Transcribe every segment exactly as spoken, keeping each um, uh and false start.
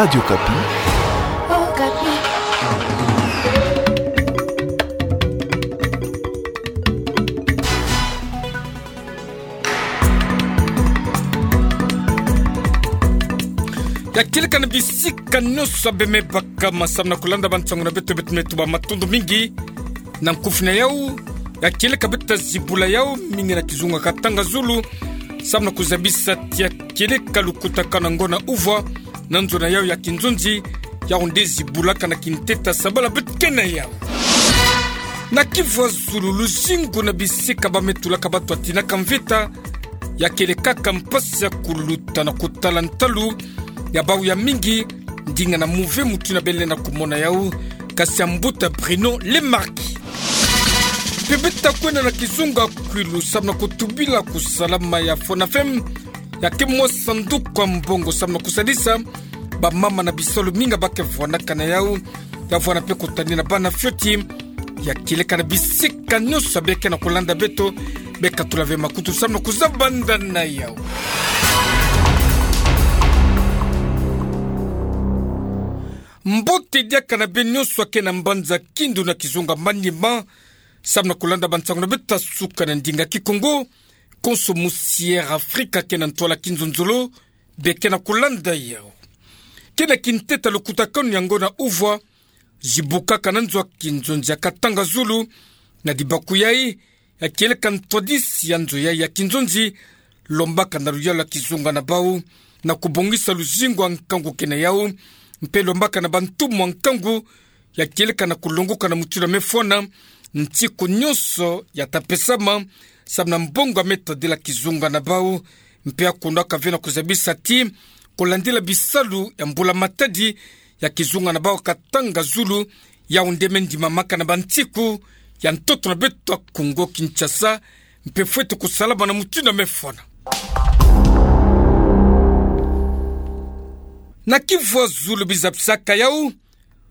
Radio Okapi. Ya kieleka na bisika nyonso abe me baka ma samu na kulanda bansango na beto, beto me tuba matondo mingi. Na nkufi na yau, ya kieleka beto ta zibula yau, mingi na kizunga katanga zulu, samu na kuzabisa tia kieleka lukutakanu na ngona uvwa, na nzo na yau ya kinzonzi, yau nde zibulaka na kinteta sabala beto ke na yau. Na kivwa zulu, luzingu na bisika ba me tulaka bato atinaka mvita, ya kielekaka mpasi ya kuluta na kutala ntalu ya bau ya mingi, ndinga na muve mutu ina bele na kumona yau, kasi ya mbuta Bruno Le Marquis. Mpe beto ta kwenda na kizunga kwilu samu na kutubila kusalama ya Fonafem, ya ke mwa sanduku ya mbongo samu na kusalisa bamama na bisalu mingi ba ke vwanaka na yau, ya vwana mpe kutani na bana fioti, ya kieleka na bisika nyonso abe ke na kulanda beto, be katula ve makutu samu na kuzabanda na yau. Mbote diaka na beno nyonso ake na mbanza Kindu na kizunga Maniema, samu na kulanda bansango na beto ta suka na ndinga Kikongo, konso musi Air Afrika ke na ntwala kinzonzolo, be ke na kulanda yau. Ke na kinteta lukutakanu ya ngona uvwa, zibukaka na nzo ya kinzonzi ya Katanga Zulu, na dibakuyei, ya kieleka ntwadisi ya nzo yai ya kinzonzi, lombaka na luyalu ya kizunga na bau, na kubongisa luzingu ya nkangu ke na yau, mpe lombaka na bantumwa nkangu, ya kieleka na kulongoka na mutindu ya me fwana, ntiku nyonso ya ta pesama, samu na mbongo ya me tadila kizunga na bau, mpe ya kundwaka ve na kuzabisa ti, kulandila bisalu ya mbula matadi, ya kizunga na bau Katanga Zulu, yau nde me ndimamaka na bantiku ya ntoto na beto ya Kongo Kinshasa, mpe fwete kusalama na mutindu ya me fwana. Na kivwa zulu bizabisaka yau,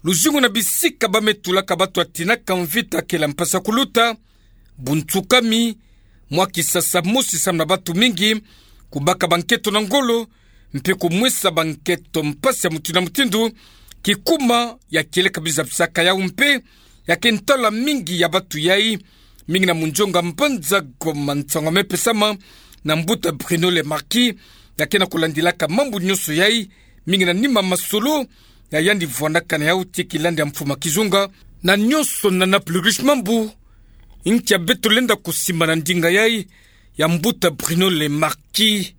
luzingu na bisika ba me tulaka bato atinaka mvita kele ya mpasi ya kuluta, buntsukami, mwa kisasa mosi samu na bato mingi, kubaka banketo na ngolo, mpe kumwesa banketo mpasi ya mutindu na mutindu, kikuma ya kieleka bizabisaka yau mpe, ya ke ntwala mingi ya bato yai, mingi na munzonga mbanza Goma nsangu ya me pesama, na mbuta Bruno Le Marquis, ya ke na kulandilaka mambu nyonso yai, mingi na nima masolo, ya yandi vwanaka na yau tii kilandi ya mfuma kizunga, na nyonso na na plus riche mambu, nkia beto lenda kusimba na ndinga yai, ya mbuta Bruno Le Marquis,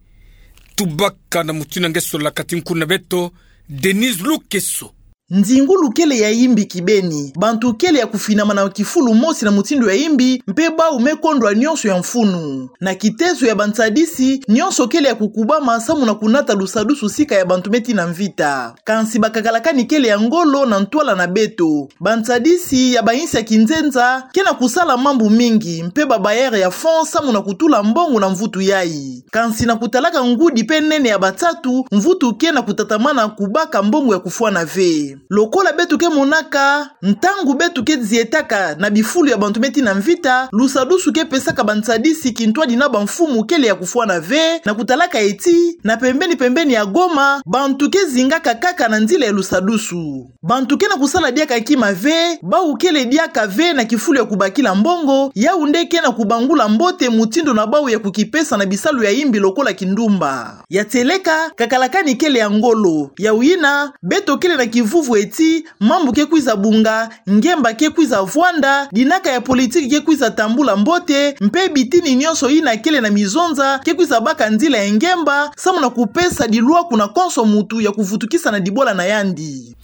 tubaka na mutindu nge solaka ti nkuna beto, Denise Lukeso. Nzingulu kele ya imbi kibeni, bantu kele ya kufinama na kifulu mosi na mutindu ya imbi, mpe bau me kondwa nyonso ya mfunu. Na kitezo ya bantsadisi, nyonso kele ya kukubama samu na kunata lusadusu sika ya bantu me tina mvita. Kansi bakakalakani kele ya ngolo na ntwala na beto. Bantsadisi ya bayinsi ya kinzenza ke na kusala mambu mingi, mpe ba bailleurs ya fonds samu na kutula mbongo na mvutu yai. Kansi na kutalaka ngudi mpe nene ya bansatu, mvutu ke na kutatamana kubaka mbongo ya kufwana ve. Lokola beto ke monaka, ntangu beto ke zietaka na bifulu ya bantu me tina mvita, lusadusu ke pesaka bantsadisi kintwadi na bamfumu kele ya kufwana ve, na kutalaka eti, na pembeni-pembeni ya Goma, bantu ke zingaka kaka na nzila ya lusadusu. Bantu ke na kusala diaka kima ve, bau kele diaka ve na kifulu ya kubakila mbongo, yau nde ke na kubangula mbote mutindu na bau ya kukipesa na bisalu ya imbi lokola kindumba. Ya tieleka, kakalakani kele ya ngolo, yau yina, beto kele na kivuvu eti, mambu ke kwiza bunga, ngemba ke kwiza vwanda, dinaka ya politiki ke kwiza tambula mbote, mpe bitini nyonso yina kele na mizonza, ke kwiza baka nzila ya ngemba, samu na kupesa dilwaku na konso mutu ya kuvutukisa na dibola na yandi.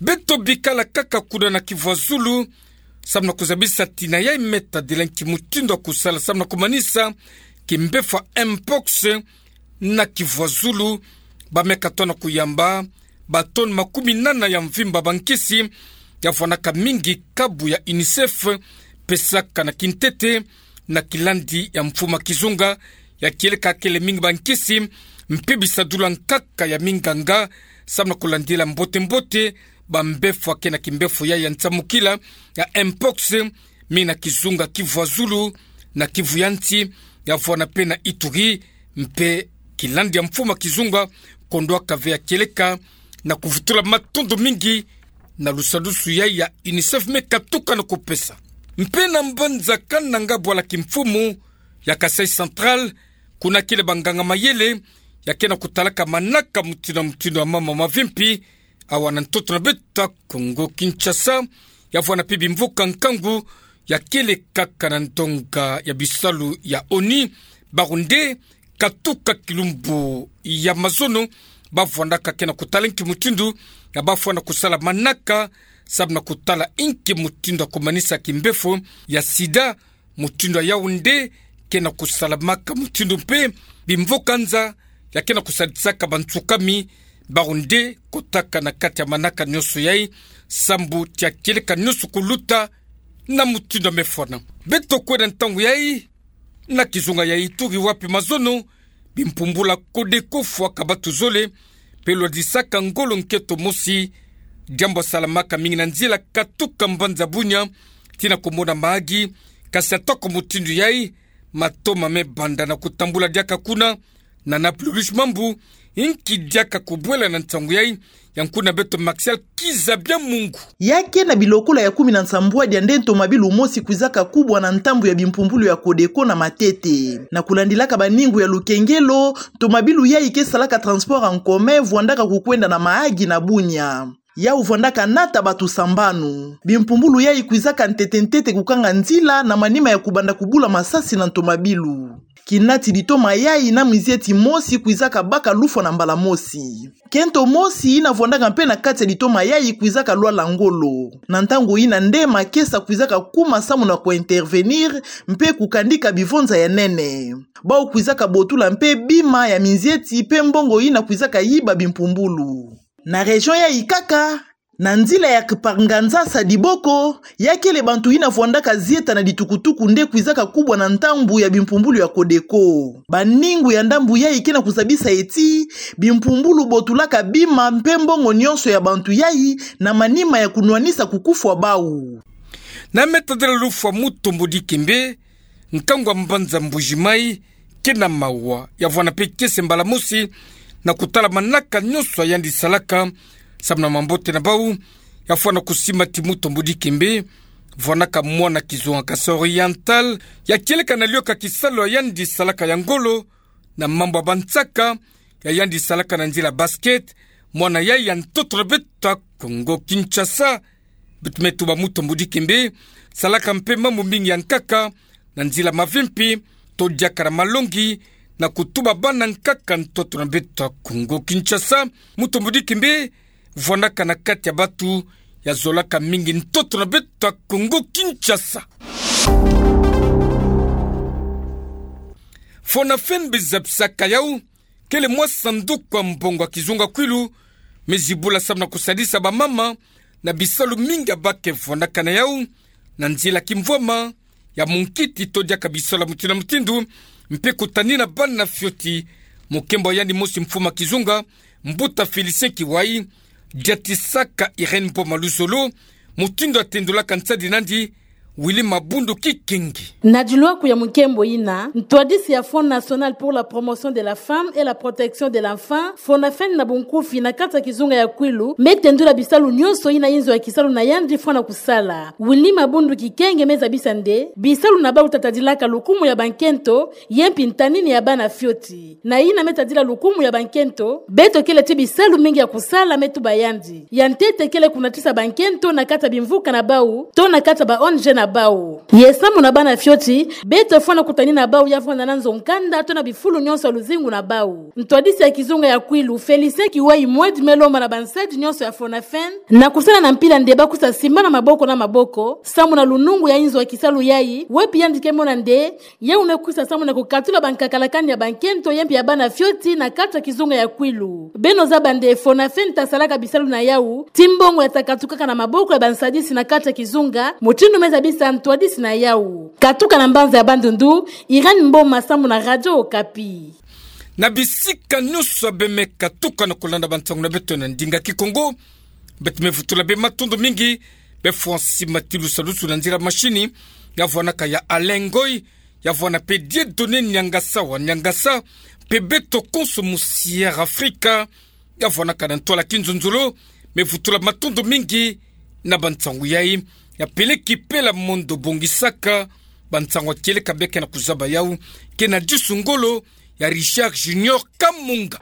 Beto bikala kaka kuna na kivwa zulu, samu na kuzabisa tina yai me tadila nki mutindu ya kusala samu na kumanisa kimbevo ya mpox na kivwa zulu, ba me katoa na kuyamba ba tonnes makumi nana ya mvimba bankisi, ya vwanaka mingi kabu ya UNICEF pesaka na kintete, na kilandi ya mfuma kizunga, ya kieleka kele mingi bankisi, mpe bisadulu ya nkaka ya minganga, samu na kulandila mbote-mbote bambevo ya ke na kimbevo yai ya nsamukila, ya mpox, mingi na kizunga Kivu ya zulu, na Kivu ya nsi, ya vwana mpe na Ituri, mpe kilandi ya mfuma kizunga, kondwaka ve ya kieleka na kuvutula matondo mingi na lusadusu yai ya UNICEF me katuka na kupesa. Mpe na mbanza Kananga bwala kimfumu ya Kasaï Central, kuna kele banganga-mayele ya ke na kutalaka manaka mutindu na mutindu ya mama mavimpi, awa na ntoto na beto ya Kongo Kinshasa, ya vwanda mpe bimvoka nkangu ya kele kaka na ndonga ya bisalu ya ONU, bawu nde katuka kilumbu ya mazono, ba vwandaka ke na kutala inki mutindu ya ba fwana kusala manaka, samu na kutala inki mutindu ya kumanisa kimbefo ya sida, mutindu ya yawu nde ke na kusalamaka, mutindu mpe bimvoka nza ya ke na kusadisaka bantsukami, bawu nde kotaka na kati ya manaka nyonso yai, sambu ti ya kieleka nyonso kuluta na mutindu ya me fwana. Beto kwenda ntangu yai na kizunga ya Ituri, wapi mazono bimpumbulu ya Codeco fwaka batu zole, mpe lwadisaka ngolo nkento mosi, diambu ya salamaka mingi na nzila katuka mbanza Bunia tii na kumona mahagi, kasi atako mutindu yai, matoma me banda na kutambula diaka kuna. Na Naplulish Mambu, inki diaka kubwela na nsangu yai, ya nkuna beto Martial Kiza Bya Mungu. Ya ke na bilokola ya kumi na nsambwadi ya nde ntomabilu mosi kwizaka kubwa na ntambu ya bimpumbulu ya Codeco na Matete. Na kulandilaka baningu ya lukengelo, ntomabilu yai ke salaka transport en commun vwandaka kukwenda na mahagi na Bunia. Yawu vwandaka nata batu sambanu. Bimpumbulu yai kwizaka ntete-ntete kukanga nzila na manima ya kubanda kubula masasi na ntomabilu. Kinati ditoma yai na mizieti mosi kwizaka baka lufwa na mbala mosi. Nkento mosi yina vwandaka mpe na kati ya ditoma yai kwizaka lwala ngolo. Na ntangu yina nde makesa kwizaka kuma samu na ku intervenir mpe kukandika bivonza ya nene. Bawu kwizaka botula mpe bima ya mizieti mpe mbongo yina kwizaka yiba bimpumbulu. Na région yai kaka, na nzila ya Kipanganzasa Diboko, ya kele bantu yina vwandaka zieta na ditukutuku nde kwizaka kubwa na ntambu ya bimpumbulu ya Codeco. Baningu ya ndambu yai ke na kuzabisa ti, bimpumbulu botulaka bima mpe mbongo nyonso ya bantu yai na manima ya kunwanisa kukufwa bawu. Na me tadila lufwa Mutombo Dikembe, nkangu ya mbanza Mbuji-Mayi, ke na mawa ya vwanda mpe kiese mbala mosi na kutala manaka nyonso ya yandi salaka, samu na mambote na bawu. Ya fwana kusima ti Mutombo Dikembe vwandaka mwana kizunga Kasaï Oriental, ya kieleka na lioka kisalu ya yandi salaka ya ngolo, na mambu ya bansaka ya yandi salaka na nzila basket, mwana yai ya ntoto na beto ya Kongo Kinshasa. Beto me tuba Mutombo Dikembe salaka mpe mambu mingi ya nkaka na nzila mavimpi, to diaka na malongi, na kutuba bana nkaka ntoto na beto ya Kongo Kinshasa. Mutombo Dikembe vwandaka na kati ya batu ya zolaka mingi ntoto na beto ya Kongo Kinshasa. Fonafen, be zabisaka yawu, kele mwa sanduku ya mbongo ya kizunga kwilu, me zibula samu na kusadisa bamama na bisalu mingi ya ba ke vwandaka na yawu, na nzila kimvwama, ya munkiti to diaka bisalu ya mutindu na mutindu, mpe kutanina bana fioti. Mukembo ya yandi mosi mfumu ya kizunga, mbuta Félicien Kiwai, diatisaka Irène Mboma Luzolo, mutindu ya tendulaka nsadi nandi Willy Mabundu Kikenge. Na dilwaku ya mukembo yina, ntwadisi ya Fonds National pour la Promotion de la Femme et la Protection de l'Enfant, Fonafen na bunkufi, na kati ya kizunga ya kwilu, me tendula bisalu nyonso yina inzo ya kisalu na yandi fwana kusala. Willy Mabundu Kikenge me zabisa nde bisalu na bawu ta tadilaka lukumu ya bankento, ye mpi ntanini ya bana fioti. Na yina me tadila lukumu ya bankento, beto kele ti bisalu mingi ya kusala, me tuba yandi. Ya ntete kele kunatisa bankento na kati ya bimvuka na bawu, to na kati ya ba O N G na bawu. Ye samu na bana fioti, beto fwana kutanina bawu ya vwanda na nzo nkanda to na bifulu nyonso ya luzingu na bawu. Ntwadisi ya kizunga ya kwilu, Félicien Kiwai, mwadi me lomba na bansadi nyonso ya Fonafen na kusala na mpila nde ba kusa simbana maboko na maboko, samu na lunungu ya inzo ya kisalu yai, wapi yandi ke mona nde yawu me kusa samu na kukatula bankakalakani ya bankento ye mpi ya bana fioti na kati ya kizunga ya kwilu. Beno zaba nde Fonafen ta salaka bisalu na yawu ti mbongo ya ta katukaka na maboko ya bansadisi na kati ya kizunga, mutindu me zabisa ntwadisi na yawu. Katuka na mbanza ya Bandundu, Irène Mboma, samu na Radio Okapi. Na bisika nyonso beno me katuka na kulanda bansangu na beto na ndinga Kikongo, beto me vutula beno matondo mingi. Beno fwa nsi mati lusalusu na nzila mashini ya vwanaka ya Alain Ngoy, ya vwana mpe Dieudonné Niangasa wa Niangasa, mpe beto konso mu Sierra Africa, ya vwanakana ntwala ki nzunzulu, me vutula matondo mingi na bansangu yayi. Ya peleki pela mondo bongisaka bansangu akele kabeka na kuzaba yawu, kena disu ngolo ya Richard Junior Kamunga.